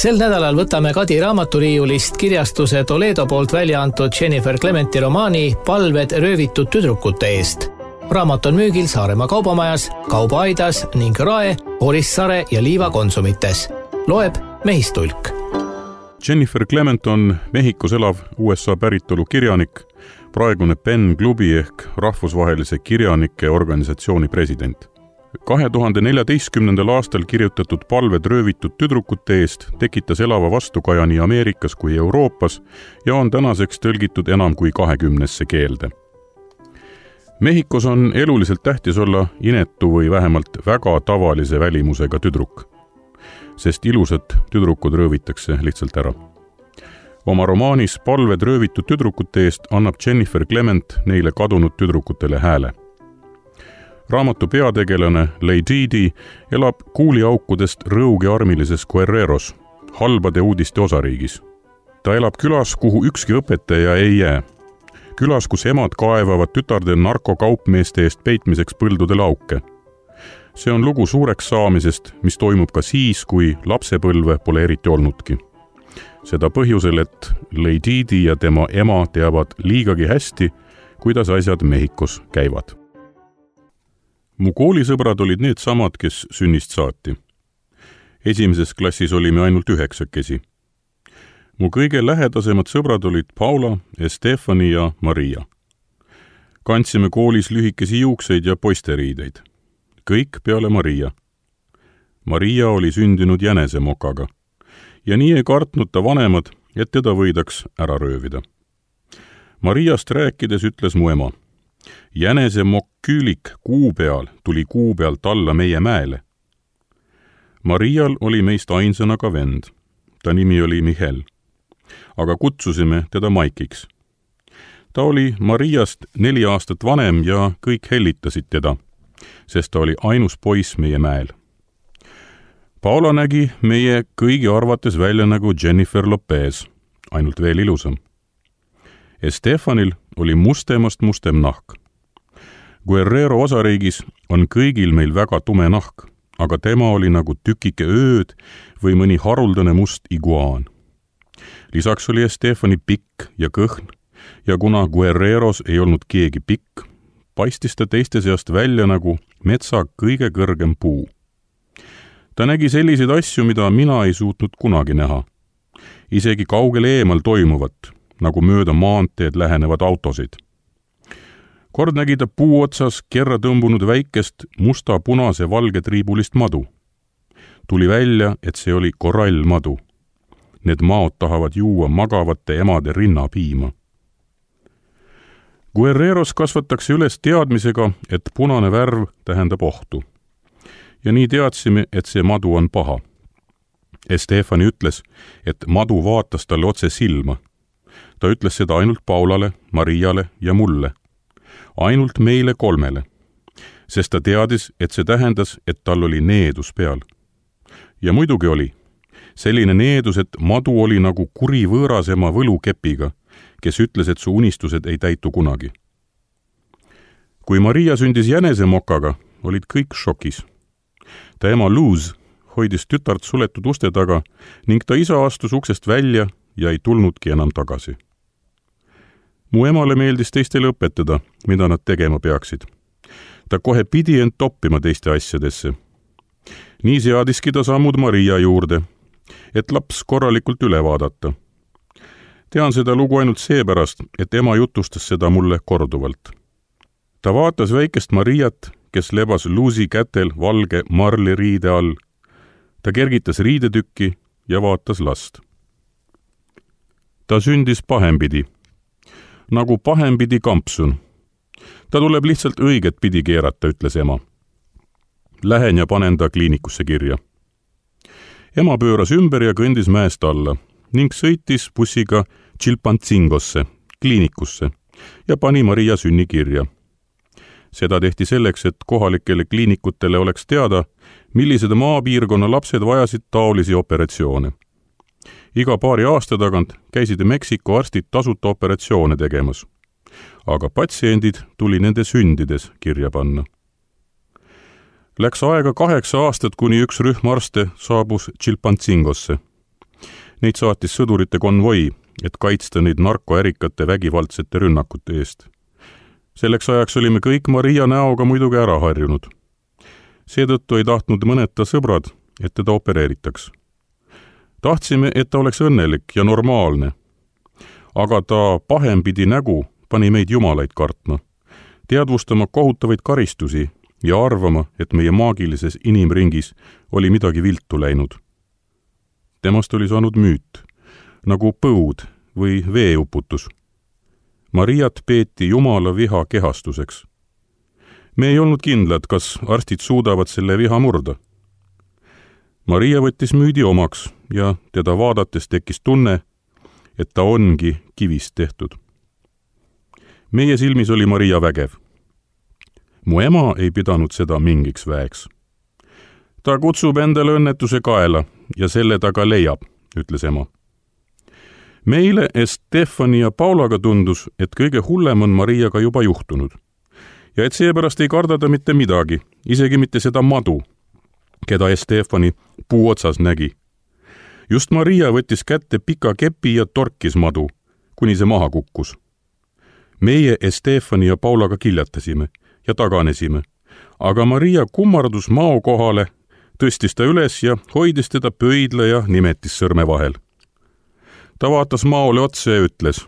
Sel nädalal võtame Kadi raamaturiiulist kirjastuse Toledo poolt välja antud Jennifer Clementi romaani Palved röövitud tüdrukute eest. Raamat on müügil Saaremaa kaubamajas, Kaubaaidas ning Rae, Orissaare ja Liiva konsumites. Loeb Mehistulk. Jennifer Clement on Mehhikos elav USA päritolu kirjanik, praegune PEN klubi ehk rahvusvahelise kirjanike organisatsiooni president. 2014. aastal kirjutatud Palved röövitud tüdrukute eest tekitas elava vastukaja nii Ameerikas kui Euroopas ja on tänaseks tõlgitud enam kui 20 keelde. Mehhikos on eluliselt tähtis olla inetu või vähemalt väga tavalise välimusega tüdruk, sest ilusad tüdrukud röövitakse lihtsalt ära. Oma romaanis Palved röövitud tüdrukute eest annab Jennifer Clement neile kadunud tüdrukutele hääle. Raamatu peategelane Lady elab kuuliaukudest rõugiarmilises Guerreros, halbade uudiste osariigis. Ta elab külas, kuhu ükski õpetaja ei jää. Külas, kus emad kaevavad tütarde narkokaupmeeste eest peitmiseks põldudele auke. See on lugu suureks saamisest, mis toimub ka siis, kui lapsepõlve pole eriti olnudki. Seda põhjusel, et Lady ja tema ema teavad liigagi hästi, kuidas asjad Mehhikos käivad. Mu koolisõbrad olid need samad, kes sünnist saati. Esimeses klassis olime ainult 9. Mu kõige lähedasemad sõbrad olid Paula, Estefani ja Maria. Kandsime koolis lühikesi juukseid ja poisteriideid. Kõik peale Maria. Maria oli sündinud jänesemokaga ja nii ei kartnud ta vanemad, et teda võidaks ära röövida. Mariast rääkides ütles mu ema: jänesemokk küülik kuu peal tuli kuu pealt alla meie mäele. Marial oli meist ainsana ka vend. Ta nimi oli Mihel. Aga kutsusime teda Maikiks. Ta oli Mariast 4 aastat vanem ja kõik hellitasid teda, sest ta oli ainus poiss meie mäel. Paula nägi meie kõigi arvates välja nagu Jennifer Lopez, ainult veel ilusam. Estefanil oli mustem nahk. Guerrero osariigis on kõigil meil väga tume nahk, aga tema oli nagu tükike ööd või mõni haruldane must iguaan. Lisaks oli Estefani pikk ja kõhn ja kuna Guerreros ei olnud keegi pikk, paistis ta teiste seast välja nagu metsa kõige kõrgem puu. Ta nägi selliseid asju, mida mina ei suutnud kunagi näha. Isegi kaugel eemal toimuvat, nagu mööda maanteed lähenevad autosid. Kord nägi ta puu otsas kerra tõmbunud väikest musta-punase valge triibulist madu. Tuli välja, et see oli korallmadu. Need maod tahavad juua magavate emade rinnapiima. Guerreros kasvatakse üles teadmisega, et punane värv tähendab ohtu. Ja nii teadsime, et see madu on paha. Estefani ütles, et madu vaatas talle otse silma. Ta ütles seda ainult Paulale, Mariale ja mulle. Ainult meile 3, sest ta teadis, et see tähendas, et tal oli needus peal. Ja muidugi oli. Selline needus, et madu oli nagu kuri võõrasema võlukepiga, kes ütles, et su unistused ei täitu kunagi. Kui Maria sündis jänesemokaga, olid kõik šokis. Ta ema Luz hoidis tütart suletud uste taga ning ta isa astus uksest välja ja ei tulnudki enam tagasi. Mu emale meeldis teistele õpetada, mida nad tegema peaksid. Ta kohe pidi end toppima teiste asjadesse. Nii seadiski ta sammud Maria juurde, et laps korralikult üle vaadata. Tean seda lugu ainult seepärast, et ema jutustas seda mulle korduvalt. Ta vaatas väikest Mariat, kes lebas Luzi kätel valge marli riide all. Ta kergitas riidetükki ja vaatas last. Ta sündis pahempidi. Nagu pahempidi kampsun. Ta tuleb lihtsalt õiget pidi keerata, ütles ema. Lähen ja panen ta kliinikusse kirja. Ema pööras ümber ja kõndis mäest alla ning sõitis bussiga Chilpantzingosse, kliinikusse ja pani Maria sünni kirja. Seda tehti selleks, et kohalikele kliinikutele oleks teada, millised maapiirkonna lapsed vajasid taolisi operatsioone. Iga paari aasta tagant käisid Meksiko arstid tasuta operatsioone tegemas, aga patsiendid tuli nende sündides kirja panna. Läks aega 8 aastat, kuni üks rühm arste saabus Chilpantzingosse. Neid saatis sõdurite konvoi, et kaitsta neid narkoärikate vägivaldsete rünnakute eest. Selleks ajaks olime kõik Maria näoga muidugi ära harjunud. Seetõttu ei tahtnud mõned ta sõbrad, et teda opereeritaks. Tahtsime, et ta oleks õnnelik ja normaalne. Aga ta pahempidi nägu pani meid jumalaid kartma, teadvustama kohutavaid karistusi ja arvama, et meie maagilises inimringis oli midagi viltu läinud. Temast oli saanud müüt, nagu põud või veeuputus. Mariat peeti jumala viha kehastuseks. Me ei olnud kindlad, kas arstid suudavad selle viha murda. Maria võttis müüdi omaks ja teda vaadates tekkis tunne, et ta ongi kivist tehtud. Meie silmis oli Maria vägev. Mu ema ei pidanud seda mingiks väeks. Ta kutsub endale õnnetuse kaela ja selle ta ka leiab, ütles ema. Meile Stefani ja Paulaga tundus, et kõige hullem on Mariaga juba juhtunud ja et seepärast ei karda ta mitte midagi, isegi mitte seda madu, keda Stefani puu otsas nägi. Just Maria võttis kätte pika kepi ja torkis madu, kuni see maha kukkus. Meie Stefani ja Paulaga kiljatasime ja taganesime, aga Maria kummardus mao kohale, tõstis ta üles ja hoidis teda pöidla ja nimetis sõrme vahel. Ta vaatas maole otsa ja ütles,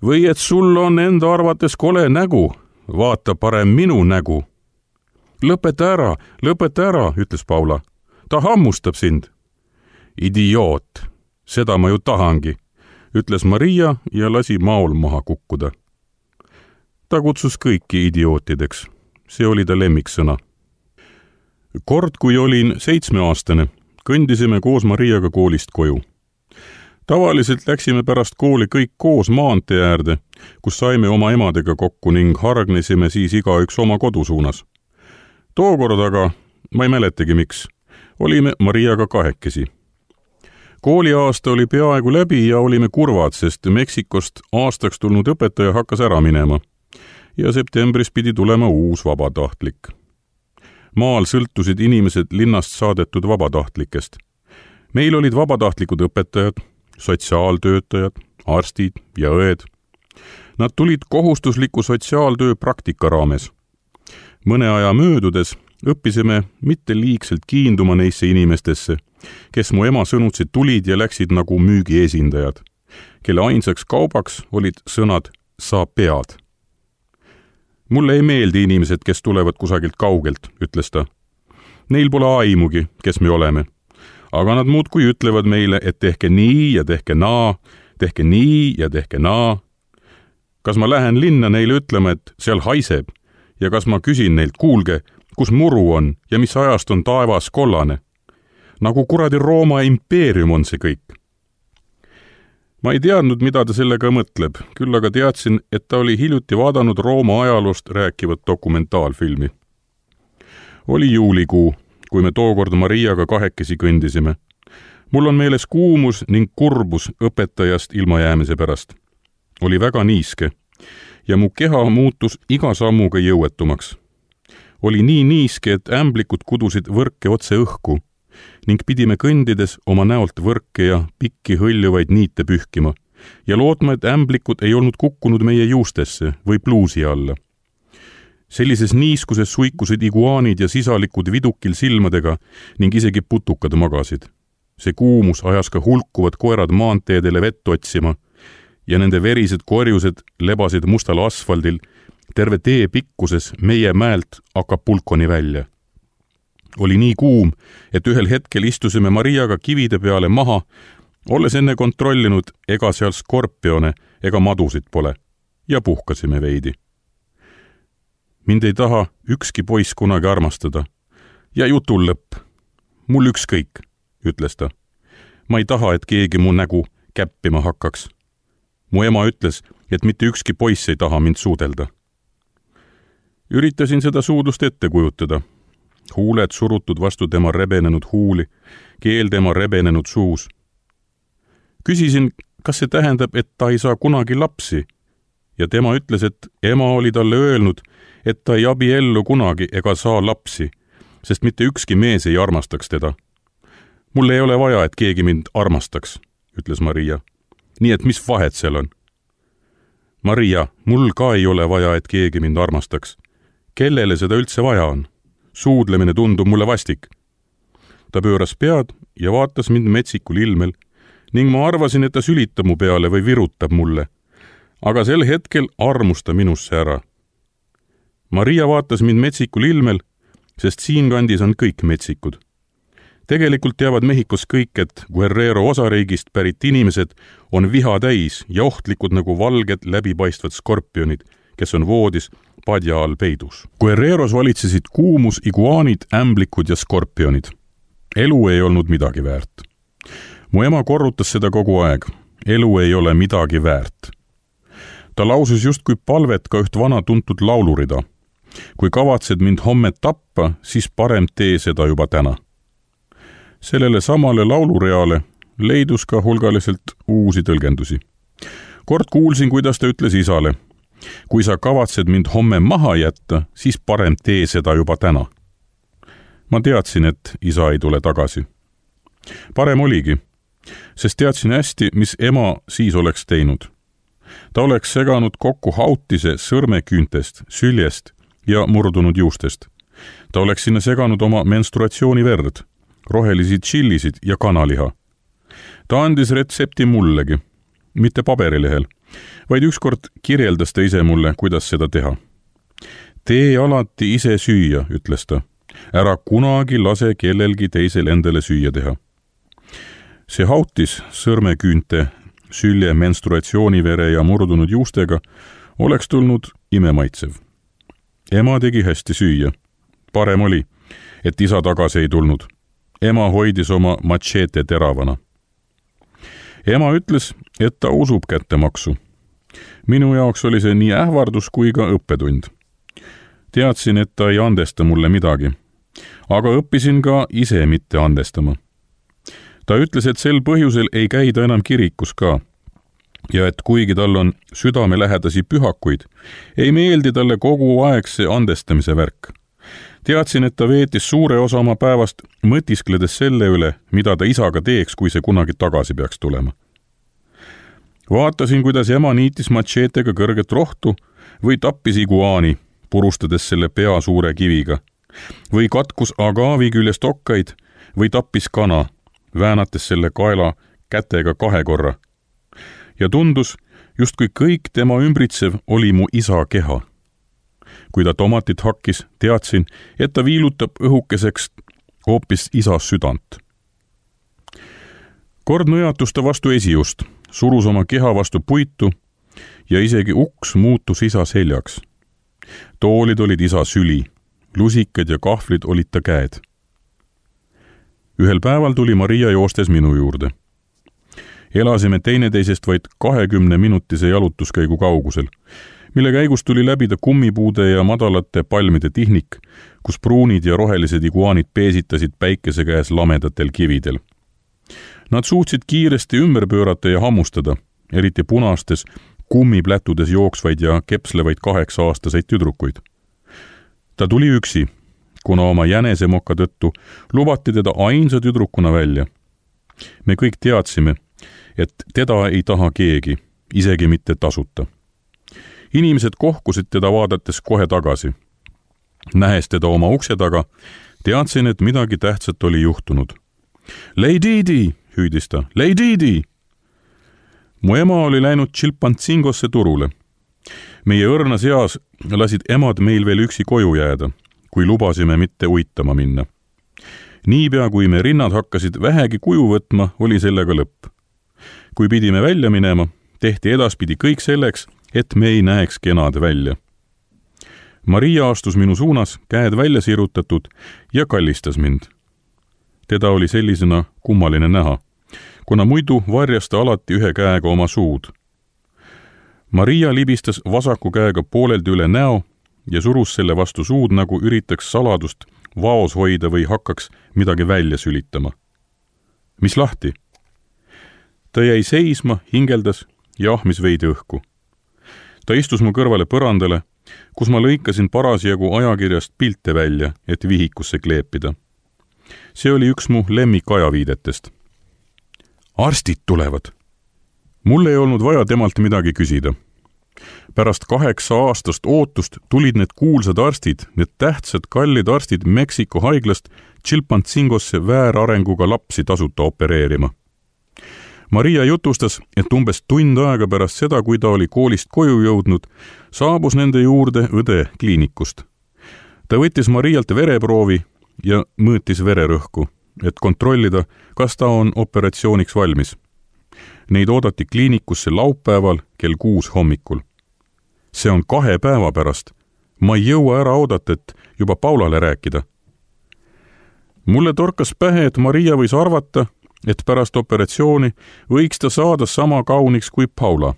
või et sul on enda arvates kole nägu, vaata parem minu nägu. Lõpeta ära, ütles Paula. Ta hammustab sind. Idioot, seda ma ju tahangi, ütles Maria ja lasi maol maha kukkuda. Ta kutsus kõiki idiootideks. See oli ta lemmiksõna. Kord, kui olin 7-aastane, kõndisime koos Mariaga koolist koju. Tavaliselt läksime pärast kooli kõik koos maantee äärde, kus saime oma emadega kokku ning hargnesime siis igaüks oma kodu suunas. Tookord aga, ma ei mäletagi miks, olime Mariaga kahekesi. Kooliaasta oli peaaegu läbi ja olime kurvad, sest Meksikost aastaks tulnud õpetaja hakkas ära minema ja septembris pidi tulema uus vabatahtlik. Maal sõltusid inimesed linnast saadetud vabatahtlikest. Meil olid vabatahtlikud õpetajad, sotsiaaltöötajad, arstid ja õed. Nad tulid kohustusliku sotsiaaltöö praktika raames. Mõne aja möödudes õppisime mitte liigselt kiinduma neisse inimestesse, kes mu ema sõnutsi tulid ja läksid nagu müügiesindajad, kelle ainsaks kaubaks olid sõnad sa pead. Mulle ei meeldi inimesed, kes tulevad kusagilt kaugelt, ütles ta. Neil pole aimugi, kes me oleme. Aga nad muudkui ütlevad meile, et tehke nii ja tehke naa, tehke nii ja tehke naa. Kas ma lähen linna neile ütlema, et seal haiseb? Ja kas ma küsin neilt, kuulge, kus muru on ja mis ajast on taevas kollane? Nagu kuradi Rooma impeerium on see kõik. Ma ei teadnud, mida ta sellega mõtleb, küll aga teadsin, et ta oli hiljuti vaadanud Rooma ajaloost rääkivat dokumentaalfilmi. Oli juulikuu, kui me tookord Mariaga kahekesi kõndisime. Mul on meeles kuumus ning kurbus õpetajast ilmajäämise pärast. Oli väga niiske ja mu keha muutus iga sammuga jõuetumaks. Oli nii niiske, et ämblikud kudusid võrke otse õhku ning pidime kõndides oma näolt võrke ja pikki hõljuvaid niite pühkima ja lootma, et ämblikud ei olnud kukkunud meie juustesse või pluusi alla. Sellises niiskuses suikusid iguaanid ja sisalikud vidukil silmadega ning isegi putukad magasid. See kuumus ajas ka hulkuvad koerad maanteedele vett otsima ja nende verised korjused lebasid mustal asfaldil terve tee pikkuses meie mäelt Acapulconi välja. Oli nii kuum, et ühel hetkel istusime Mariaga kivide peale maha, olles enne kontrollinud, ega seal skorpione ega madusid pole, ja puhkasime veidi. Mind ei taha ükski poiss kunagi armastada. Ja jutul lõpp. Mul ükskõik, ütles ta. Ma ei taha, et keegi mu nägu käppima hakkaks. Mu ema ütles, et mitte ükski poiss ei taha mind suudelda. Üritasin seda suudlust ette kujutada. Huuled surutud vastu tema rebenenud huuli, keel tema rebenenud suus. Küsisin, kas see tähendab, et ta ei saa kunagi lapsi, ja tema ütles, et ema oli talle öelnud, et ta ei abiellu kunagi ega saa lapsi, sest mitte ükski mees ei armastaks teda. Mulle ei ole vaja, et keegi mind armastaks, ütles Maria. Nii et mis vahet seal on? Maria, mul ka ei ole vaja, et keegi mind armastaks. Kellele seda üldse vaja on? Suudlemine tundub mulle vastik. Ta pööras pead ja vaatas mind metsikul ilmel ning ma arvasin, et ta sülitab mu peale või virutab mulle. Aga sel hetkel armus ta minusse ära. Maria vaatas mind metsikul ilmel, sest siinkandis on kõik metsikud. Tegelikult teavad Mehhikos kõik, et Guerrero osariigist pärit inimesed on viha täis ja ohtlikud nagu valged läbipaistvad skorpionid, kes on voodis padja all peidus. Guerreros valitsesid kuumus, iguaanid, ämblikud ja skorpionid. Elu ei olnud midagi väärt. Mu ema korrutas seda kogu aeg. Elu ei ole midagi väärt. Ta lausus justkui palvet ka üht vana tuntud laulurida. Kui kavatsed mind homme tappa, siis parem tee seda juba täna. Sellele samale laulureale leidus ka hulgaliselt uusi tõlgendusi. Kord kuulsin, kuidas ta ütles isale. Kui sa kavatsed mind homme maha jätta, siis parem tee seda juba täna. Ma teadsin, et isa ei tule tagasi. Parem oligi, sest teadsin hästi, mis ema siis oleks teinud. Ta oleks seganud kokku hautise sõrmeküüntest, süljest ja murdunud juustest. Ta oleks sinna seganud oma menstruatsiooniverd, rohelisi tšillisid ja kanaliha. Ta andis retsepti mullegi, mitte paberilehel, vaid ükskord kirjeldas ta ise mulle, kuidas seda teha. Tee alati ise süüa, ütles ta. Ära kunagi lase kellelgi teisel endale süüa teha. See hautis sõrmeküünte, sülje, menstruatsioonivere ja murdunud juustega oleks tulnud imemaitsev. Ema tegi hästi süüa. Parem oli, et isa tagasi ei tulnud. Ema hoidis oma machete teravana. Ema ütles, et ta usub kättemaksu. Minu jaoks oli see nii ähvardus kui ka õppetund. Teadsin, et ta ei andesta mulle midagi, aga õppisin ka ise mitte andestama. Ta ütles, et sel põhjusel ei käida enam kirikus ka ja et kuigi tal on südamelähedasi pühakuid, ei meeldi talle kogu aeg see andestamise värk. Teadsin, et ta veetis suure osa oma päevast mõtiskledes selle üle, mida ta isaga teeks, kui see kunagi tagasi peaks tulema. Vaatasin, kuidas ema niitis machetega kõrget rohtu või tappis iguaani, purustades selle pea suure kiviga, või katkus agaavi küljest okkaid või tappis kana, väänates selle kaela kätega 2 korra. Ja tundus, justkui kõik tema ümbritsev oli mu isa keha. Kui ta tomatit hakkis, teadsin, et ta viilutab õhukeseks hoopis isa südant. Kord nõjatus ta vastu esiust, surus oma keha vastu puitu ja isegi uks muutus isa seljaks. Toolid olid isa süli, lusikad ja kahvlid olid ta käed. Ühel päeval tuli Maria joostes minu juurde. Elasime teineteisest vaid 20-minutise jalutuskäigu kaugusel, mille käigus tuli läbida kummipuude ja madalate palmide tihnik, kus pruunid ja rohelised iguaanid peesitasid päikese käes lamedatel kividel. Nad suutsid kiiresti ümber pöörata ja hammustada, eriti punastes, kummiplätudes jooksvaid ja kepslevaid 8-aastaseid tüdrukuid. Ta tuli üksi, kuna oma jänesemoka tõttu lubati teda ainsa tüdrukuna välja. Me kõik teadsime, et teda ei taha keegi, isegi mitte tasuta. Inimesed kohkusid teda vaadates kohe tagasi. Nähes teda oma ukse taga, teadsin, et midagi tähtsat oli juhtunud. Leididi, hüüdis ta, Leididi! Mu ema oli läinud Chilpantsingosse turule. Meie õrnas eas lasid emad meil veel üksi koju jääda, kui lubasime mitte uitama minna. Niipea, kui me rinnad hakkasid vähegi kuju võtma, oli sellega lõpp. Kui pidime välja minema, tehti edaspidi kõik selleks, et me ei näeks kenad välja. Maria astus minu suunas, käed välja sirutatud ja kallistas mind. Teda oli sellisena kummaline näha, kuna muidu varjas ta alati ühe käega oma suud. Maria libistas vasaku käega pooleldi üle näo ja surus selle vastu suud, nagu üritaks saladust vaos hoida või hakkaks midagi välja sülitama. Mis lahti? Ta jäi seisma, hingeldas ja ahmis veidi õhku. Ta istus mu kõrvale põrandale, kus ma lõikasin parasjagu ajakirjast pilte välja, et vihikusse kleepida. See oli üks mu lemmikajaviidetest. arstid tulevad. Mul ei olnud vaja temalt midagi küsida. Pärast 8 aastast ootust tulid need kuulsad arstid, need tähtsad kallid arstid Meksiko haiglast Chilpancingosse väärarenguga lapsi tasuta opereerima. Maria jutustas, et umbes tund aega pärast seda, kui ta oli koolist koju jõudnud, saabus nende juurde õde kliinikust. Ta võttis Marialt vereproovi ja mõõtis vererõhku, et kontrollida, kas ta on operatsiooniks valmis. Neid oodati kliinikusse laupäeval kell 6 hommikul. See on 2 päeva pärast. Ma ei jõua ära oodata, et juba Paulale rääkida. Mulle torkas pähe, et Maria võis arvata, et pärast operatsiooni võiks ta saada sama kauniks kui Paula.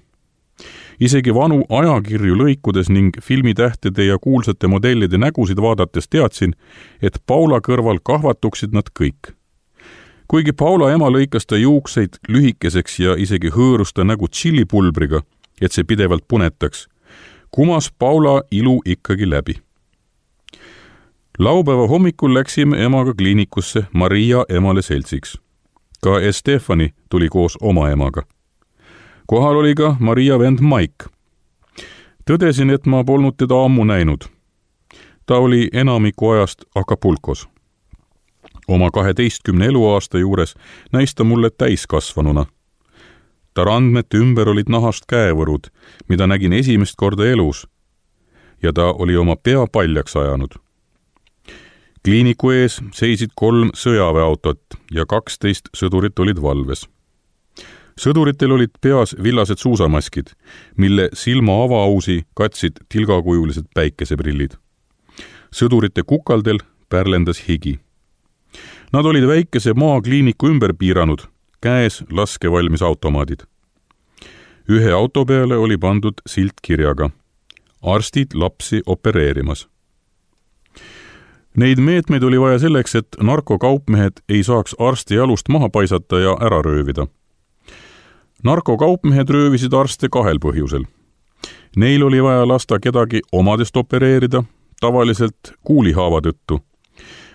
Isegi vanu ajakirju lõikudes ning filmitähtede ja kuulsate modellide nägusid vaadates teadsin, et Paula kõrval kahvatuksid nad kõik. Kuigi Paula ema lõikas ta juukseid lühikeseks ja isegi hõõrus ta nägu tšillipulbriga, et see pidevalt punetaks, kumas Paula ilu ikkagi läbi. Laupäeva hommikul läksime emaga kliinikusse Maria emale seltsiks. Ka Estefani tuli koos oma emaga. Kohal oli ka Maria vend Mike. Tõdesin, et ma polnud teda ammu näinud. Ta oli enamiku ajast Acapulcos. Oma 12 eluaasta juures näis ta mulle täiskasvanuna. Ta randmete ümber olid nahast käevõrud, mida nägin esimest korda elus, ja ta oli oma pea paljaks ajanud. Kliiniku ees seisid 3 sõjaväeautot ja 12 sõdurit olid valves. Sõduritel olid peas villased suusamaskid, mille silma avaausi katsid tilgakujulised päikeseprillid. Sõdurite kukaldel pärlendas higi. Nad olid väikese maakliiniku ümber piiranud, käes laskevalmis automaadid. Ühe auto peale oli pandud silt kirjaga: arstid lapsi opereerimas. Neid meetmeid oli vaja selleks, et narkokaupmehed ei saaks arsti jalust maha paisata ja ära röövida. Narkokaupmehed röövisid arste 2 põhjusel. Neil oli vaja lasta kedagi omadest opereerida, tavaliselt kuulihaava tõttu,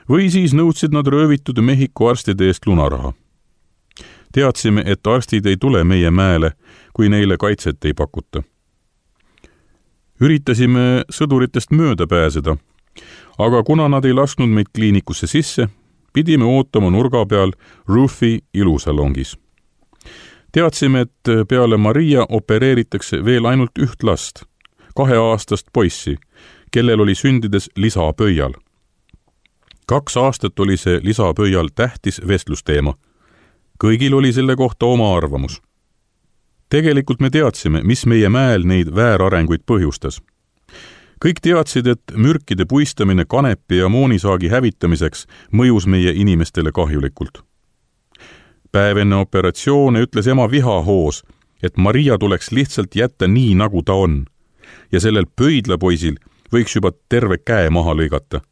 või siis nõudsid nad röövitud Mehhiko arstide eest lunaraha. Teadsime, et arstid ei tule meie mäele, kui neile kaitset ei pakuta. Üritasime sõduritest mööda pääseda, aga kuna nad ei lasknud meid kliinikusse sisse, pidime ootama nurga peal Rufi ilusalongis. Teadsime, et peale Maria opereeritakse veel ainult 1 last, 2-aastast poissi, kellel oli sündides lisapöial. 2 aastat oli see lisapöial tähtis vestlusteema. Kõigil oli selle kohta oma arvamus. Tegelikult me teadsime, mis meie mäel neid väärarenguid põhjustas. Kõik teadsid, et mürkide puistamine kanepi ja moonisaagi hävitamiseks mõjus meie inimestele kahjulikult. Päev enne operatsioone ütles ema vihahoos, et Maria tuleks lihtsalt jätta nii, nagu ta on, ja sellel pöidlapoisil võiks juba terve käe maha lõigata.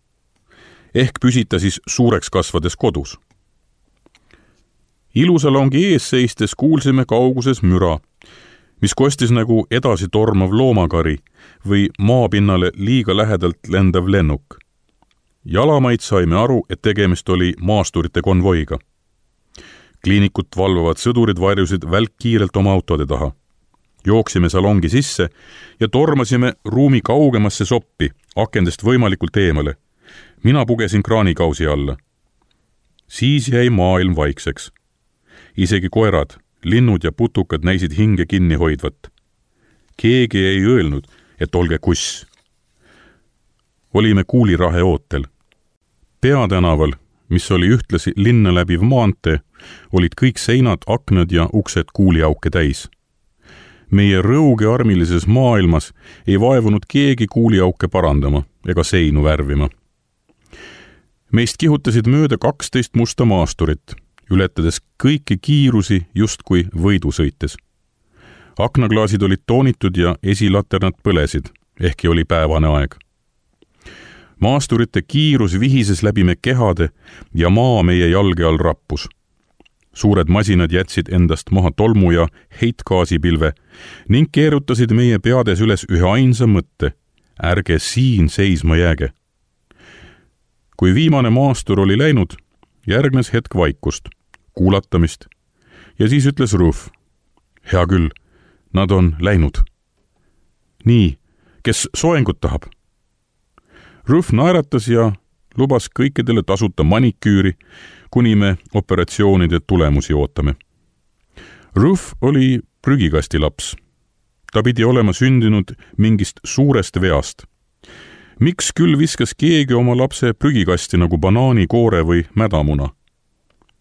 Ehk püsita siis suureks kasvades kodus. Ilusalongi ees seistes kuulsime kauguses müra, mis kostis nagu edasi tormav loomakari või maapinnale liiga lähedalt lendav lennuk. Jalamaid saime aru, et tegemist oli maasturite konvoiga. Kliinikut valvavad sõdurid varjusid välkkiirelt oma autode taha. Jooksime salongi sisse ja tormasime ruumi kaugemasse soppi, akendest võimalikult eemale. Mina pugesin kraanikausi alla. Siis jäi maailm vaikseks. Isegi koerad, linnud ja putukad näisid hinge kinni hoidvat. Keegi ei öelnud, et olge kuss. Olime kuulirahe ootel. Peatänaval, mis oli ühtlasi linna läbiv maantee, olid kõik seinad, aknad ja uksed kuuliauke täis. Meie rõugearmilises maailmas ei vaevunud keegi kuuliauke parandama ega seinu värvima. Meist kihutasid mööda 12 musta maasturit, ületades kõiki kiirusi justkui võidu sõites. Aknaklaasid olid toonitud ja esilaternad põlesid, ehkki oli päevane aeg. Maasturite kiirus vihises läbi me kehade ja maa meie jalge all rappus. Suured masinad jätsid endast maha tolmu ja heitgaasipilve ning keerutasid meie peades üles ühe ainsa mõtte: ärge siin seisma jääge. Kui viimane maastur oli läinud, järgnes hetk vaikust, kuulatamist ja siis ütles Ruth. Hea küll, nad on läinud. Nii, kes soengut tahab? Ruth naeratas ja lubas kõikidele tasuta maniküüri, kuni me operatsioonide tulemusi ootame. Ruth oli prügikasti laps. Ta pidi olema sündinud mingist suurest veast. Miks küll viskas keegi oma lapse prügikasti nagu banaanikoore või mädamuna?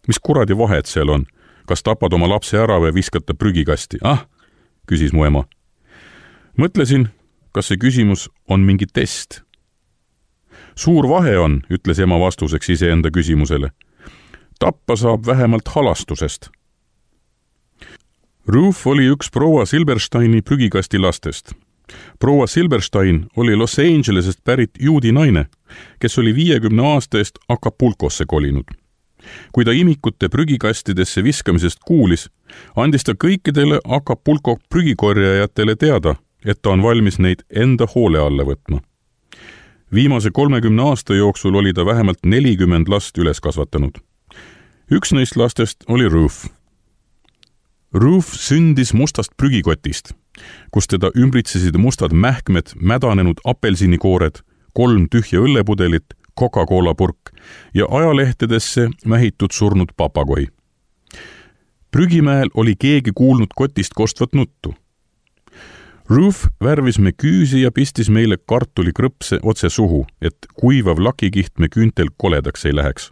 Mis kuradi vahet seal on? Kas tapad oma lapse ära või viskad ta prügikasti? Küsis mu ema. Mõtlesin, kas see küsimus on mingi test. Suur vahe on, ütles ema vastuseks iseenda küsimusele. Tappa saab vähemalt halastusest. Ruth oli üks proua Silbersteini prügikasti lastest. Proua Silberstein oli Los Angelesest pärit juudi naine, kes oli 50 aasta eest Acapulcosse kolinud. Kui ta imikute prügikastidesse viskamisest kuulis, andis ta kõikidele Acapulco prügikorjajatele teada, et ta on valmis neid enda hoole alla võtma. Viimase 30 aasta jooksul oli ta vähemalt 40 last üles kasvatanud. Üks neist lastest oli Ruth. Ruth sündis mustast prügikotist, kus teda ümbritsesid mustad mähkmed, mädanenud apelsinikoored, 3 tühja õllepudelit, Coca-Cola purk ja ajalehtedesse mähitud surnud papagohi. Prügimäel oli keegi kuulnud kotist kostvat nuttu. Ruth värvis me küüsi ja pistis meile kartulikrõpse otse suhu, et kuivav lakikiht me küüntel koledaks ei läheks.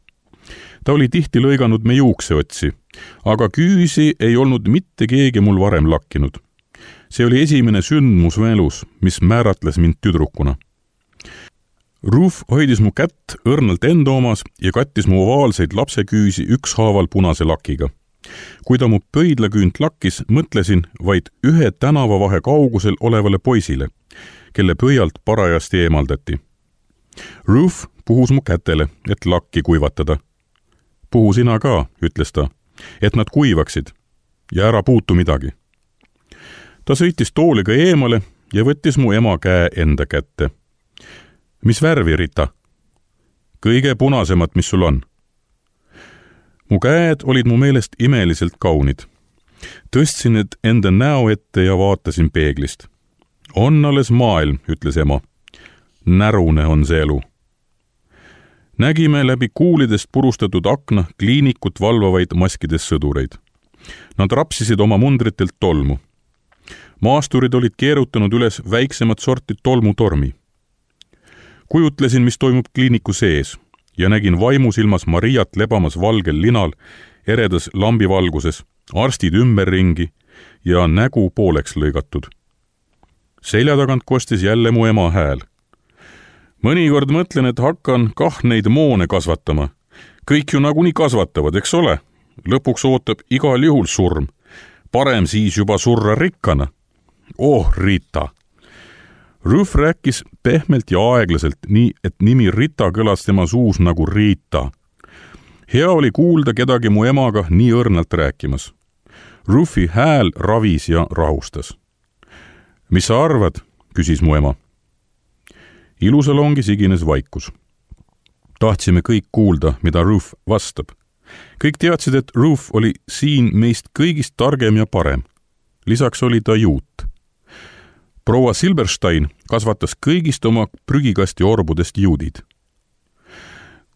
Ta oli tihti lõiganud me juukseotsi, aga küüsi ei olnud mitte keegi mul varem lakkinud. See oli esimene sündmus mu elus, mis määratles mind tüdrukuna. Ruth hoidis mu kätt õrnalt enda omas ja kattis mu ovaalseid lapseküüsi ükshaaval punase lakiga. Kui ta mu pöidlaküünt lakkis, mõtlesin vaid ühe tänavavahe kaugusel olevale poisile, kelle pöialt parajasti eemaldati. Ruth puhus mu kätele, et lakki kuivatada. Puhu sina ka, ütles ta, et nad kuivaksid ja ära puutu midagi. Ta sõitis tooliga eemale ja võttis mu ema käe enda kätte. Mis värvi, Rita? Kõige punasemat, mis sul on. Mu käed olid mu meelest imeliselt kaunid. Tõstsin need enda näo ette ja vaatasin peeglist. On alles maailm, ütles ema. Närune on see elu. Nägime läbi kuulidest purustatud akna kliinikut valvavaid maskides sõdureid. Nad rapsisid oma mundritelt tolmu. Maasturid olid keerutanud üles väiksemat sorti tolmutormi. Kujutlesin, mis toimub kliiniku sees ja nägin vaimusilmas Mariat lebamas valgel linal, eredas lambivalguses, arstid ümberringi ja nägu pooleks lõigatud. Selja tagant kostis jälle mu ema hääl. Mõnikord mõtlen, et hakkan neid moone kasvatama. Kõik ju nagunii kasvatavad, eks ole? Lõpuks ootab igal juhul surm. Parem siis juba surra rikkana. Rita! Ruth rääkis pehmelt ja aeglaselt, nii et nimi Rita kõlas tema suus nagu Riita. Hea oli kuulda kedagi mu emaga nii õrnalt rääkimas. Ruthi hääl ravis ja rahustas. Mis sa arvad? Küsis mu ema. Ilusalongi sigines vaikus. Tahtsime kõik kuulda, mida Ruth vastab. Kõik teadsid, et Ruth oli siin meist kõigist targem ja parem. Lisaks oli ta juut. Proua Silberstein kasvatas kõigist oma prügikasti orbudest juudid.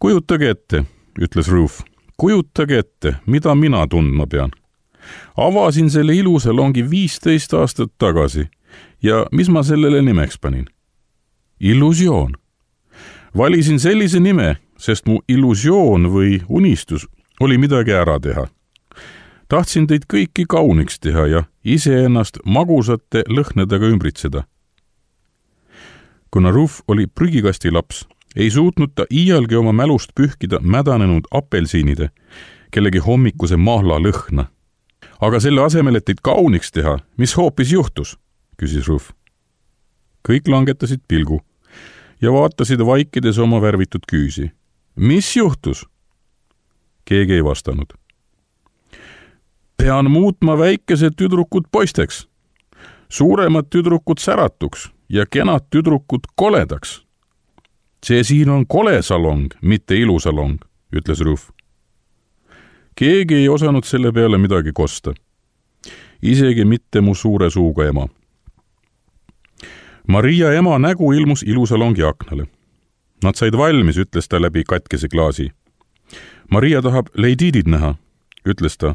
Kujutage ette, ütles Ruth, kujutage ette, mida mina tundma pean. Avasin selle ilusalongi 15 aastat tagasi ja mis ma sellele nimeks panin? Illusioon. Valisin sellise nime, sest mu illusioon või unistus oli midagi ära teha. Tahtsin teid kõiki kauniks teha ja iseennast magusate lõhnedega ümbritseda. Kuna Ruth oli prügikasti laps, ei suutnud ta iialgi oma mälust pühkida mädanenud apelsiinide, kellegi hommikuse mahla lõhna. Aga selle asemel, et teid kauniks teha, mis hoopis juhtus? Küsis Ruth. Kõik langetasid pilgu ja vaatasid vaikides oma värvitud küüsi. Mis juhtus? Keegi ei vastanud. Pean muutma väikesed tüdrukud poisteks, suuremad tüdrukud säratuks ja kenad tüdrukud koledaks. See siin on kole salong, mitte ilusalong, ütles Ruth. Keegi ei osanud selle peale midagi kosta. Isegi mitte mu suure suuga ema. Maria ema nägu ilmus ilusalongi aknale. Nad said valmis, ütles ta läbi katkese klaasi. Maria tahab Lady Did näha, ütles ta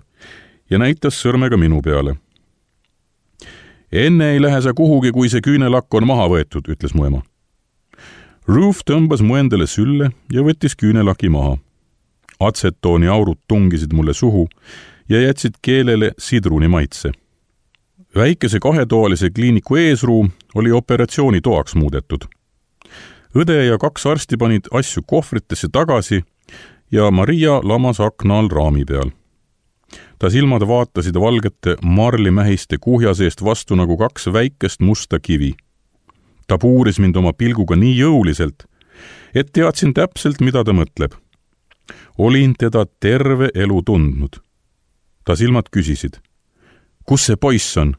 ja näitas sõrmega minu peale. Enne ei lähe sa kuhugi, kui see küünelakk on maha võetud, ütles mu ema. Ruth tõmbas mu endale sülle ja võttis küünelaki maha. Atsetooni aurud tungisid mulle suhu ja jätsid keelele sidruni maitse. Väikese kahetoalise kliiniku eesruum oli operatsioonitoaks muudetud. Õde ja 2 arsti panid asju kohvritesse tagasi ja Maria lamas akna all raami peal. Ta silmad vaatasid valgete marlimähiste kuhja seest vastu nagu 2 väikest musta kivi. Ta puuris mind oma pilguga nii jõuliselt, et teadsin täpselt, mida ta mõtleb. Olin teda terve elu tundnud. Ta silmad küsisid. Kus see poiss on?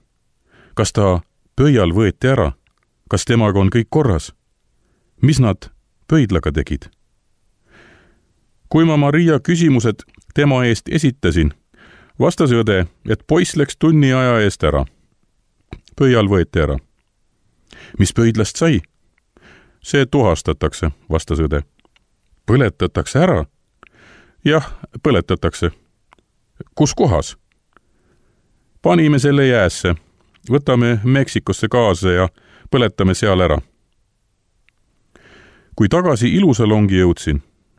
Kas ta pöial võeti ära? Kas temaga on kõik korras? Mis nad pöidlaga tegid? Kui ma Maria küsimused tema eest esitasin, vastas õde, et poiss läks tunni aja eest ära. Pöial võeti ära. Mis pöidlast sai? See tuhastatakse, vastas õde. Põletatakse ära? Jah, põletatakse. Kus kohas? Panime selle jäässe. Võtame Meksikosse kaasa ja põletame seal ära. Kui tagasi ilusalongi jõudsin,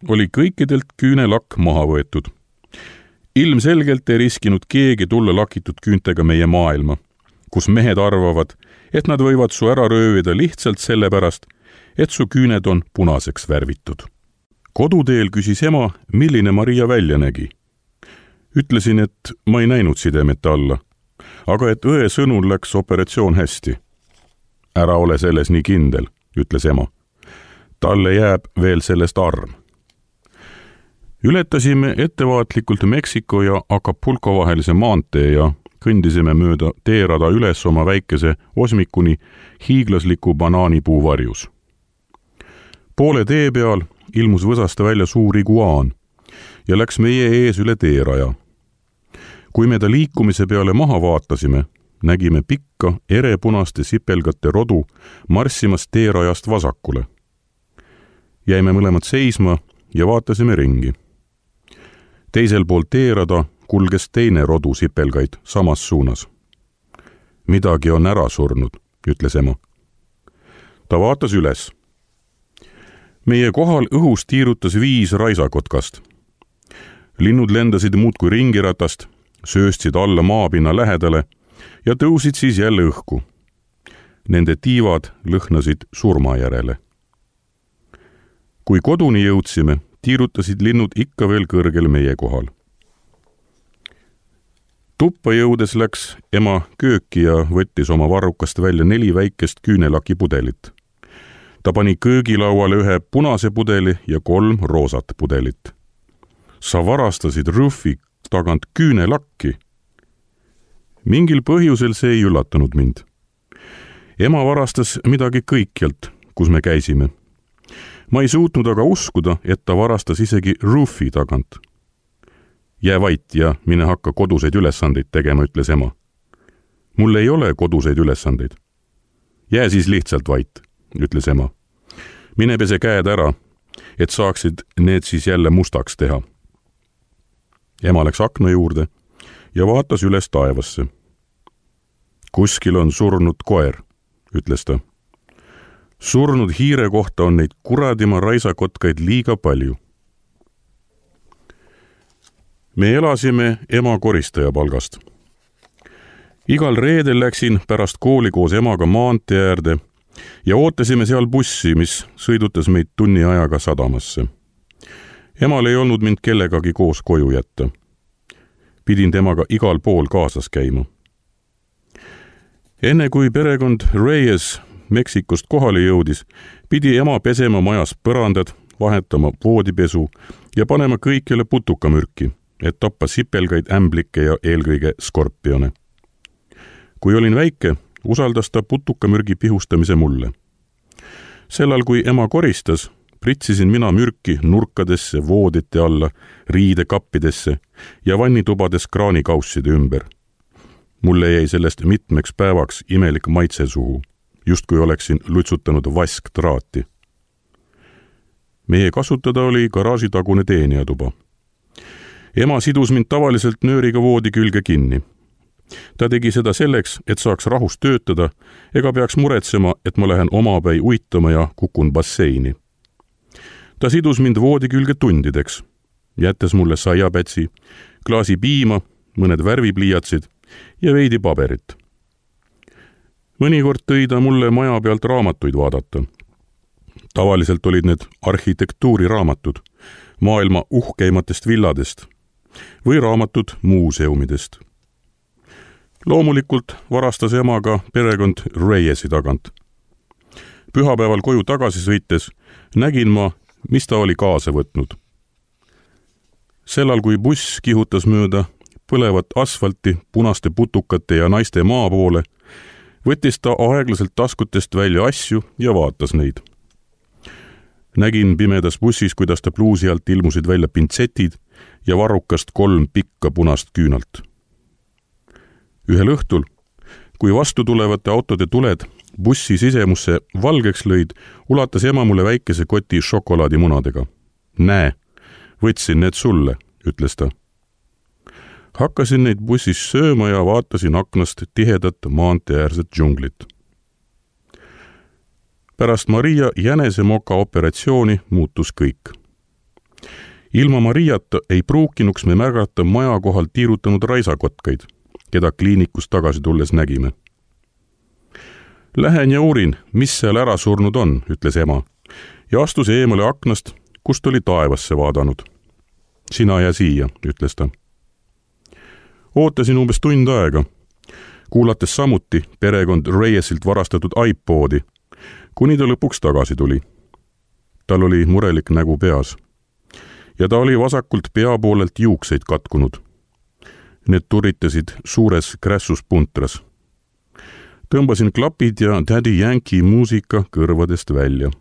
oli kõikidelt küünelakk maha võetud. Ilmselgelt ei riskinud keegi tulla lakitud küüntega meie maailma, kus mehed arvavad, et nad võivad su ära röövida lihtsalt sellepärast, et su küüned on punaseks värvitud. Koduteel küsis ema, milline Maria välja nägi. Ütlesin, et ma ei näinud sidemete alla, aga et õe sõnul läks operatsioon hästi. Ära ole selles nii kindel, ütles ema. Talle jääb veel sellest arm. Ületasime ettevaatlikult Meksiko ja Acapulco vahelise maantee ja kõndisime mööda teerada üles oma väikese osmikuni hiiglasliku banaanipuu varjus. Poole tee peal ilmus võsasta välja suur iguaan ja läks meie ees üle teeraja. Kui me ta liikumise peale maha vaatasime, nägime pikka erepunaste sipelgate rodu marssimas teerajast vasakule. Jäime mõlemad seisma ja vaatasime ringi. Teisel pool teerada kulges teine rodu sipelgaid samas suunas. Midagi on ära surnud, ütles ema. Ta vaatas üles. Meie kohal õhus tiirutas 5 raisakotkast. Linnud lendasid muudkui ringiratast, sööstsid alla maapinna lähedale ja tõusid siis jälle õhku. Nende tiivad lõhnasid surma järele. Kui koduni jõudsime, tiirutasid linnud ikka veel kõrgel meie kohal. Tuppa jõudes läks ema kööki ja võttis oma varrukast välja 4 väikest küünelaki pudelit. Ta pani köögilauale 1 punase pudeli ja 3 roosat pudelit. Sa varastasid Rufi tagant küünelakki. Mingil põhjusel see ei üllatanud mind. Ema varastas midagi kõikjalt, kus me käisime. Ma ei suutnud aga uskuda, et ta varastas isegi Rufi tagant. Jää vait ja mine hakka koduseid ülesandeid tegema, ütles ema. Mul ei ole koduseid ülesandeid. Jää siis lihtsalt vait, ütles ema. Mine pese käed ära, et saaksid need siis jälle mustaks teha. Ema läks akna juurde ja vaatas üles taevasse. Kuskil on surnud koer, ütles ta. Surnud hiire kohta on neid kuradima raisakotkaid liiga palju. Me elasime ema koristaja palgast. Igal reedel läksin pärast kooli koos emaga maantee äärde ja ootasime seal bussi, mis sõidutas meid tunni ajaga sadamasse. Emal ei olnud mind kellegagi koos koju jätta. Pidin temaga igal pool kaasas käima. Enne kui perekond Reyes Meksikost kohale jõudis, pidi ema pesema majas põrandad, vahetama voodipesu ja panema kõikjale putukamürki, et tappa sipelgaid, ämblikke ja eelkõige skorpione. Kui olin väike, usaldas ta putukamürgi pihustamise mulle. Sellal, kui ema koristas, pritsisin mina mürki nurkadesse, voodite alla, riidekappidesse ja vannitubades kraanikausside ümber. Mulle jäi sellest mitmeks päevaks imelik maitse suhu, justkui oleksin lutsutanud vasktraati. Meie kasutada oli garaažitagune teenijatuba. Ema sidus mind tavaliselt nööriga voodi külge kinni. Ta tegi seda selleks, et saaks rahus töötada ega peaks muretsema, et ma lähen omapäi uitama ja kukun basseini. Ta sidus mind voodi külge tundideks, jättes mulle saiapätsi, klaasi piima, mõned värvipliiatsid ja veidi paberit. Mõnikord tõi ta mulle maja pealt raamatuid vaadata. Tavaliselt olid need arhitektuuriraamatud, maailma uhkeimatest villadest või raamatud muuseumidest. Loomulikult varastas ema ka perekond Reyesi tagant. Pühapäeval koju tagasi sõites nägin ma, mis ta oli kaasa võtnud. Sellal, kui buss kihutas mööda põlevat asfalti punaste putukate ja naiste maa poole, võttis ta aeglaselt taskutest välja asju ja vaatas neid. Nägin pimedas bussis, kuidas ta pluusi alt ilmusid välja pintsetid ja varrukast 3 pikka punast küünalt. Ühel õhtul, kui vastu tulevate autode tuled bussi sisemusse valgeks lõid, ulatas ema mulle väikese koti šokolaadimunadega. Näe, võtsin need sulle, ütles ta. Hakkasin neid bussis sööma ja vaatasin aknast tihedat maanteäärset džunglit. Pärast Maria jänesemoka operatsiooni muutus kõik. Ilma Mariata ei pruukinuks me märgata maja kohal tiirutanud raisakotkaid, keda kliinikus tagasi tulles nägime. Lähen ja uurin, mis seal ära surnud on, ütles ema, ja astus eemale aknast, kust oli taevasse vaadanud. Sina ja siia, ütles ta. Ootasin umbes tund aega, kuulates samuti perekond Reyesilt varastatud iPodi, kuni ta lõpuks tagasi tuli. Tal oli murelik nägu peas ja ta oli vasakult pea poolelt juukseid katkunud. Need turitasid suures krässus puntras. Tõmbasin klapid ja Daddy Yankee muusika kõrvadest välja.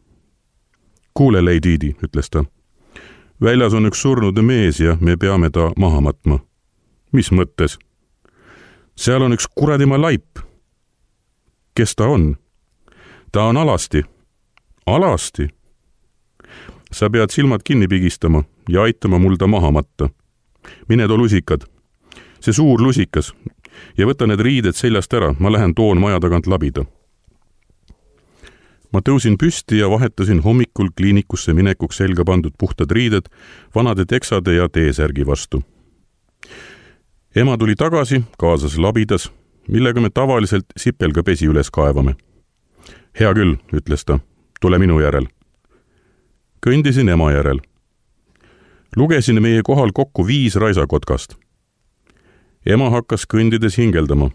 Kuule, Lady Di, ütles ta. Väljas on üks surnud mees ja me peame ta maha matma. Mis mõttes? Seal on üks kuradima laip. Kes ta on? Ta on Alasti. Alasti? Sa pead silmad kinni pigistama ja aitama mul ta maha matta. Mine too lusikad. See suur lusikas ja võta need riided seljast ära, ma lähen toon maja tagant labida. Ma tõusin püsti ja vahetasin hommikul kliinikusse minekuks selga pandud puhtad riided vanade teksade ja teesärgi vastu. Ema tuli tagasi, kaasas labidas, millega me tavaliselt sipelgapesi üles kaevame. Hea küll, ütles ta, tule minu järel. Kõndisin ema järel. Lugesin meie kohal kokku 5 raisakotkast. Ema hakkas kõndides hingeldama,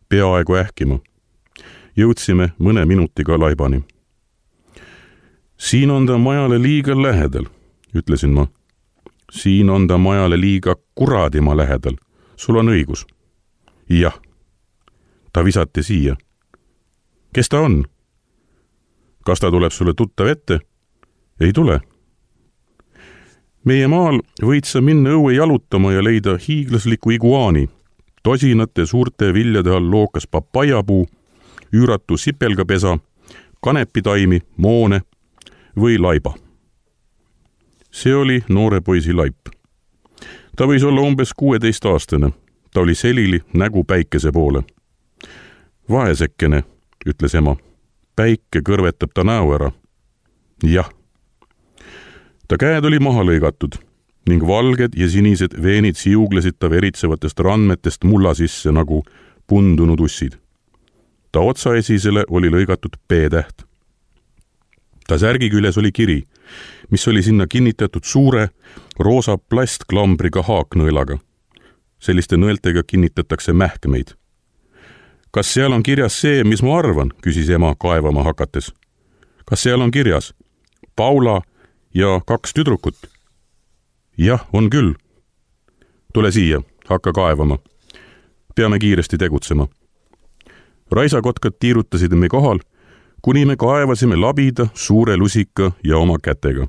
peaaegu ähkima. Jõudsime mõne minutiga laibani. Siin on ta majale liiga lähedal, ütlesin ma. Siin on ta majale liiga kuradima lähedal. Sul on õigus. Jah. Ta visati siia. Kes ta on? Kas ta tuleb sulle tuttav ette? Ei tule. Meie maal võid sa minna õue jalutama ja leida hiiglasliku iguaani, tosinate suurte viljade all lookas papaiapuu, üüratu sipelgapesa, kanepitaimi, moone või laiba. See oli noore poisi laip. Ta võis olla umbes 16-aastane. Ta oli selili, nägu päikese poole. Vaesekene, ütles ema. Päike kõrvetab ta näo ära. Jah. Ta käed oli maha lõigatud ning valged ja sinised veenid siuglesid ta veritsevatest randmetest mulla sisse nagu pundunud ussid. Ta otsaesisele oli lõigatud P-täht. Ta särgi küljes oli kiri, mis oli sinna kinnitatud suure roosa plastklambriga haaknõelaga. Selliste nõeltega kinnitatakse mähkmeid. Kas seal on kirjas see, mis ma arvan, küsis ema kaevama hakates. Kas seal on kirjas Paula ja 2 tüdrukut? Jah, on küll. Tule siia, hakka kaevama. Peame kiiresti tegutsema. Raisakotkad tiirutasid me kohal, kuni me kaevasime labida, suure lusika ja oma kätega.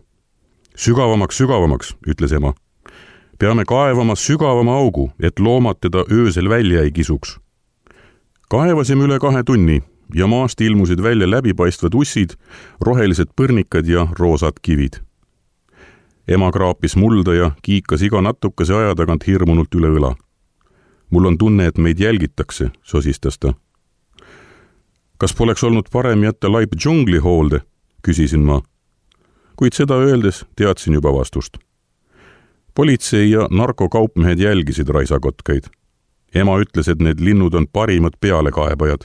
Sügavamaks, sügavamaks, ütles ema. Peame kaevama sügavama augu, et loomad teda öösel välja ei kisuks. Kaevasime üle 2 tunni ja maast ilmusid välja läbipaistvad ussid, rohelised põrnikad ja roosad kivid. Ema kraapis mulda ja kiikas iga natukese aja tagant hirmunult üle õla. Mul on tunne, et meid jälgitakse, sosistas ta. Kas poleks olnud parem jätta laip džungli hoolde, küsisin ma. Kuid seda öeldes teadsin juba vastust. Politsei ja narkokaupmehed jälgisid raisakotkaid. Ema ütles, et need linnud on parimad pealekaebajad.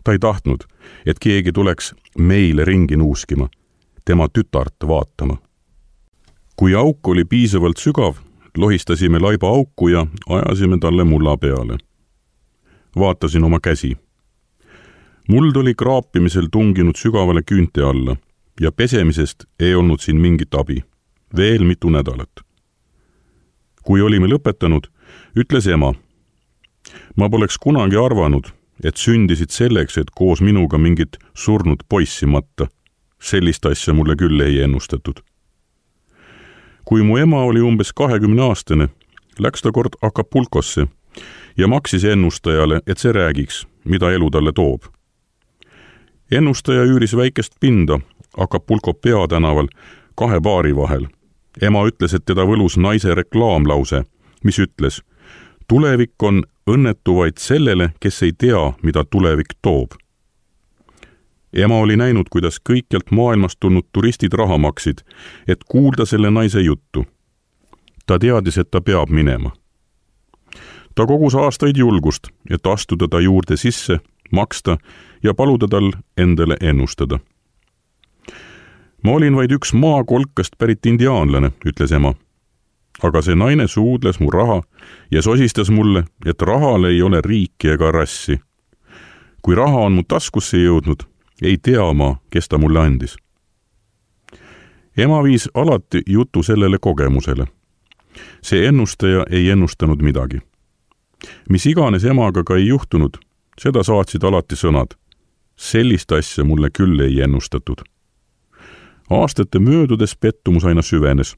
Ta ei tahtnud, et keegi tuleks meile ringi nuuskima, tema tütart vaatama. Kui auk oli piisavalt sügav, lohistasime laiba auku ja ajasime talle mulla peale. Vaatasin oma käsi. Muld oli kraapimisel tunginud sügavale küünte alla ja pesemisest ei olnud siin mingit abi. Veel mitu nädalat. Kui olime lõpetanud, ütles ema. Ma poleks kunagi arvanud, et sündisid selleks, et koos minuga mingit surnud poissi matta. Sellist asja mulle küll ei ennustatud. Kui mu ema oli umbes 20-aastane, läks ta kord Acapulcosse ja maksis ennustajale, et see räägiks, mida elu talle toob. Ennustaja üüris väikest pinda Acapulco peatänaval 2 baari vahel. Ema ütles, et teda võlus naise reklaamlause, mis ütles, tulevik on õnnetu vaid sellele, kes ei tea, mida tulevik toob. Ema oli näinud, kuidas kõikjalt maailmast tulnud turistid raha maksid, et kuulda selle naise juttu. Ta teadis, et ta peab minema. Ta kogus aastaid julgust, et astuda ta juurde sisse, maksta ja paluda tal endale ennustada. Ma olin vaid üks maakolkast pärit indiaanlane, ütles ema. Aga see naine suudles mu raha ja sosistas mulle, et rahal ei ole riiki ega rassi. Kui raha on mu taskusse jõudnud, ei tea ma, kes ta mulle andis. Ema viis alati jutu sellele kogemusele. See ennustaja ei ennustanud midagi. Mis iganes emaga ka ei juhtunud, seda saatsid alati sõnad. Sellist asja mulle küll ei ennustatud. Aastate möödudes pettumus aina süvenes,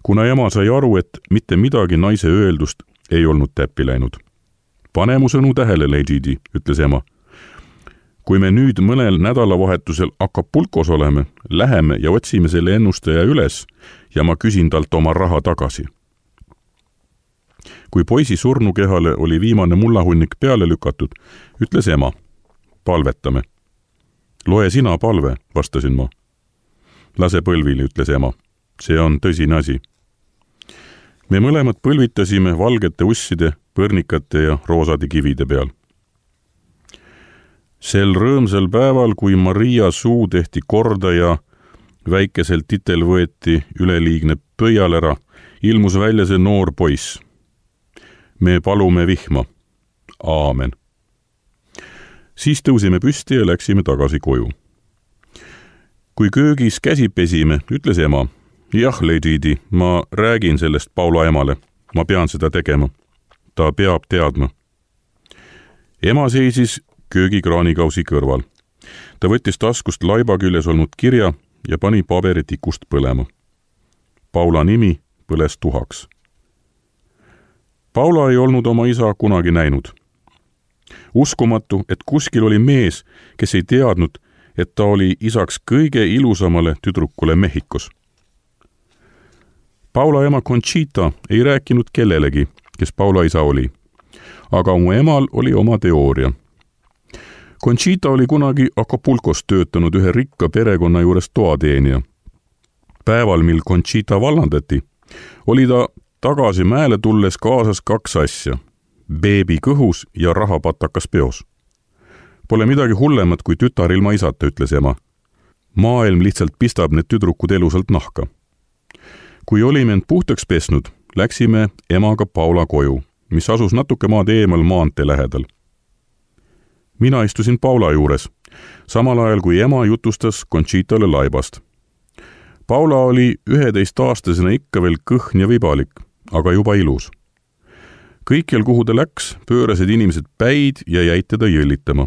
kuna ema sai aru, et mitte midagi naise öeldust ei olnud täppi läinud. Pane mu sõnu tähele, Lady Di, ütles ema. Kui me nüüd mõnel nädalavahetusel Acapulcos oleme, läheme ja otsime selle ennustaja üles ja ma küsin talt oma raha tagasi. Kui poisi surnukehale oli viimane mullahunnik peale lükatud, ütles ema, palvetame. Loe sina palve, vastasin ma. Lase põlvili, ütles ema. See on tõsine asi. Me mõlemad põlvitasime valgete usside, põrnikate ja roosade kivide peal. Sel rõõmsal päeval, kui Maria suu tehti korda ja väikesel titel võeti üleliigne pöialera, ilmus välja see noor poiss. Me palume vihma. Aamen. Siis tõusime püsti ja läksime tagasi koju. Kui köögis käsi pesime, ütles ema, jah, Lady Di, ma räägin sellest Paula emale. Ma pean seda tegema. Ta peab teadma. Ema seisis köögikraanikausi kõrval. Ta võttis taskust laiba küljes olnud kirja ja pani paberi tikust põlema. Paula nimi põles tuhaks. Paula ei olnud oma isa kunagi näinud. Uskumatu, et kuskil oli mees, kes ei teadnud, et ta oli isaks kõige ilusamale tüdrukule Mehhikos. Paula ema Conchita ei rääkinud kellelegi, kes Paula isa oli, aga mu emal oli oma teooria. Conchita oli kunagi Acapulcos töötanud ühe rikka perekonna juures toateenija. Päeval, mil Conchita vallandati, oli ta tagasi mäele tulles kaasas 2 asja, beebi kõhus ja rahapatakas peos. Pole midagi hullemat kui tütar ilma isata, ütles ema. Maailm lihtsalt pistab need tüdrukud elusalt nahka. Kui olime end puhtaks pesnud, läksime emaga Paula koju, mis asus natuke maad eemal maantee lähedal. Mina istusin Paula juures, samal ajal kui ema jutustas Conchitale laibast. Paula oli 11-aastasena ikka veel kõhn ja vibalik, aga juba ilus. Kõikjal, kuhu ta läks, pöörasid inimesed päid ja jäid teda jõllitama.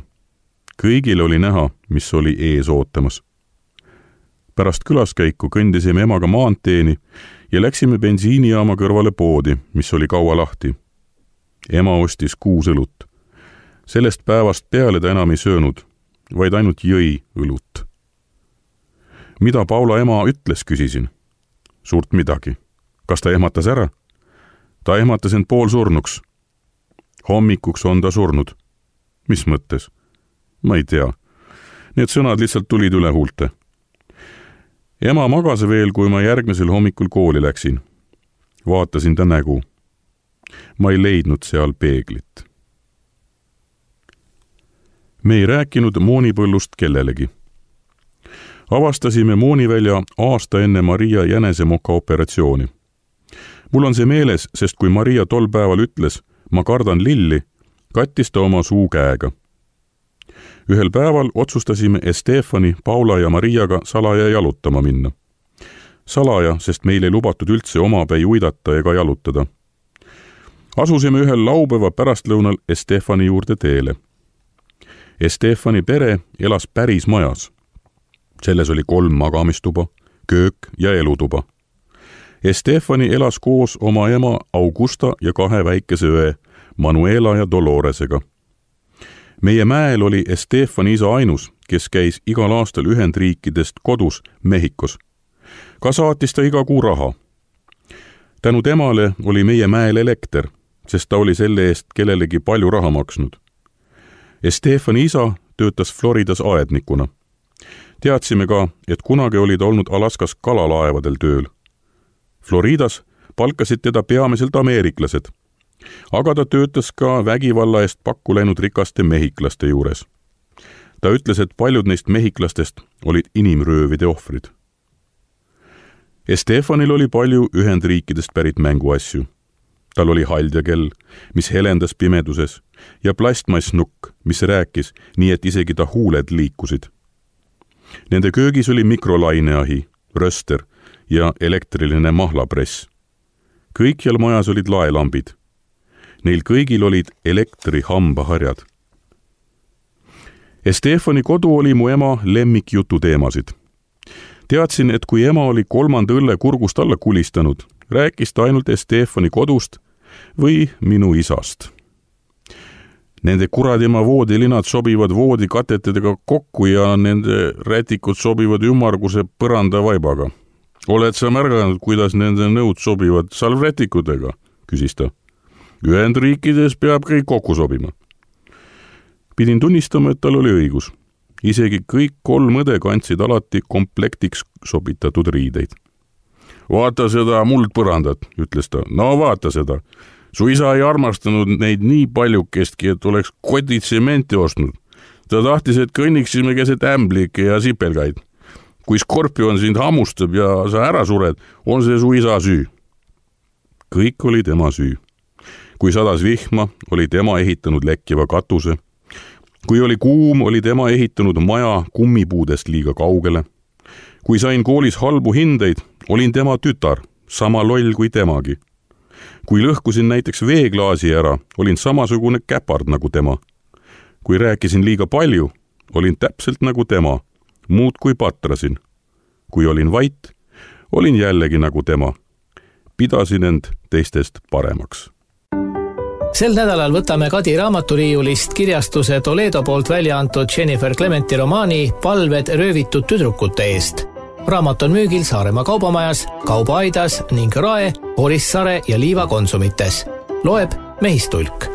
Kõigil oli näha, mis oli ees ootamas. Pärast külaskäiku kõndisime emaga maanteeni ja läksime bensiinijaama kõrvale poodi, mis oli kaua lahti. Ema ostis 6 õlut. Sellest päevast peale ta enam ei söönud, vaid ainult jõi õlut. Mida Paula ema ütles, küsisin. Suurt midagi. Kas ta ehmatas ära? Ta ehmatas end poolsurnuks. Hommikuks on ta surnud. Mis mõttes? Ma ei tea. Need sõnad lihtsalt tulid üle huulte. Ema magas veel, kui ma järgmisel hommikul kooli läksin. Vaatasin ta nägu. Ma ei leidnud seal peeglit. Me ei rääkinud moonipõllust kellelegi. Avastasime moonivälja aasta enne Maria jänesemoka operatsiooni. Mul on see meeles, sest kui Maria tol päeval ütles, ma kardan lilli, kattis ta oma suu käega. Ühel päeval otsustasime Estefani, Paula ja Mariaga salaja jalutama minna. Salaja, sest meil ei lubatud üldse omapäi uidata ega jalutada. Asusime ühel laupäeva pärastlõunal Estefani juurde teele. Estefani pere elas päris majas. Selles oli 3 magamistuba, köök ja elutuba. Estefani elas koos oma ema Augusta ja 2 väikese õe, Manuela ja Doloresega. Meie mäel oli Estefani isa ainus, kes käis igal aastal Ühendriikidest kodus Mehhikos. Ka saatis ta iga kuu raha. Tänu temale oli meie mäel elekter, sest ta oli selle eest kellelegi palju raha maksnud. Estefani isa töötas Floridas aednikuna. Teadsime ka, et kunagi oli ta olnud Alaskas kalalaevadel tööl. Floridas palkasid teda peamiselt ameeriklased, aga ta töötas ka vägivalla eest pakku läinud rikaste mehhiklaste juures. Ta ütles, et paljud neist mehhiklastest olid inimröövide ohvrid. Estefanil oli palju Ühendriikidest pärit mänguasju. Tal oli haldjakell, mis helendas pimeduses, ja plastmassnukk, mis rääkis, nii et isegi ta huuled liikusid. Nende köögis oli mikrolaineahi, röster ja elektriline mahlapress. Kõikjal majas olid laelambid. Neil kõigil olid elektrihambaharjad. Estefani kodu oli mu ema lemmikjutu teemasid. Teadsin, et kui ema oli 3. õlle kurgust alla kulistanud, rääkis ta ainult Estefani kodust või minu isast. Nende kuradima voodilinad sobivad voodikatetedega kokku ja nende rätikud sobivad ümmarguse põrandavaibaga. Oled sa märganud, kuidas nende nõud sobivad salvrätikudega, küsis ta. Ühendriikides peab kõik kokku sobima. Pidin tunnistama, et tal oli õigus. Isegi kõik 3 õde kandsid alati komplektiks sobitatud riideid. Vaata seda muldpõrandat, ütles ta. No vaata seda. Su isa ei armastanud neid nii paljukestki, et oleks kodid tsementi ostnud. Ta tahtis, et kõnniksime keset ämblikke ja sipelgaid. Kui skorpion sind hammustab ja sa ära sured, on see su isa süü. Kõik oli tema süü. Kui sadas vihma, oli tema ehitanud lekkiva katuse. Kui oli kuum, oli tema ehitanud maja kummipuudest liiga kaugele. Kui sain koolis halbu hindeid, olin tema tütar, sama loll kui temagi. Kui lõhkusin näiteks veeklaasi ära, olin samasugune käpard nagu tema. Kui rääkisin liiga palju, olin täpselt nagu tema, muud kui patrasin. Kui olin vait, olin jällegi nagu tema. Pidasin end teistest paremaks. Sel nädalal võtame Kadi raamaturiiulist kirjastuse Toledo poolt välja antud Jennifer Clementi romaani Palved röövitud tüdrukute eest. Raamat on müügil Saaremaa kaubamajas, Kaubaaidas ning Rae, Orissaare ja Liiva konsumites. Loeb Mehistulk.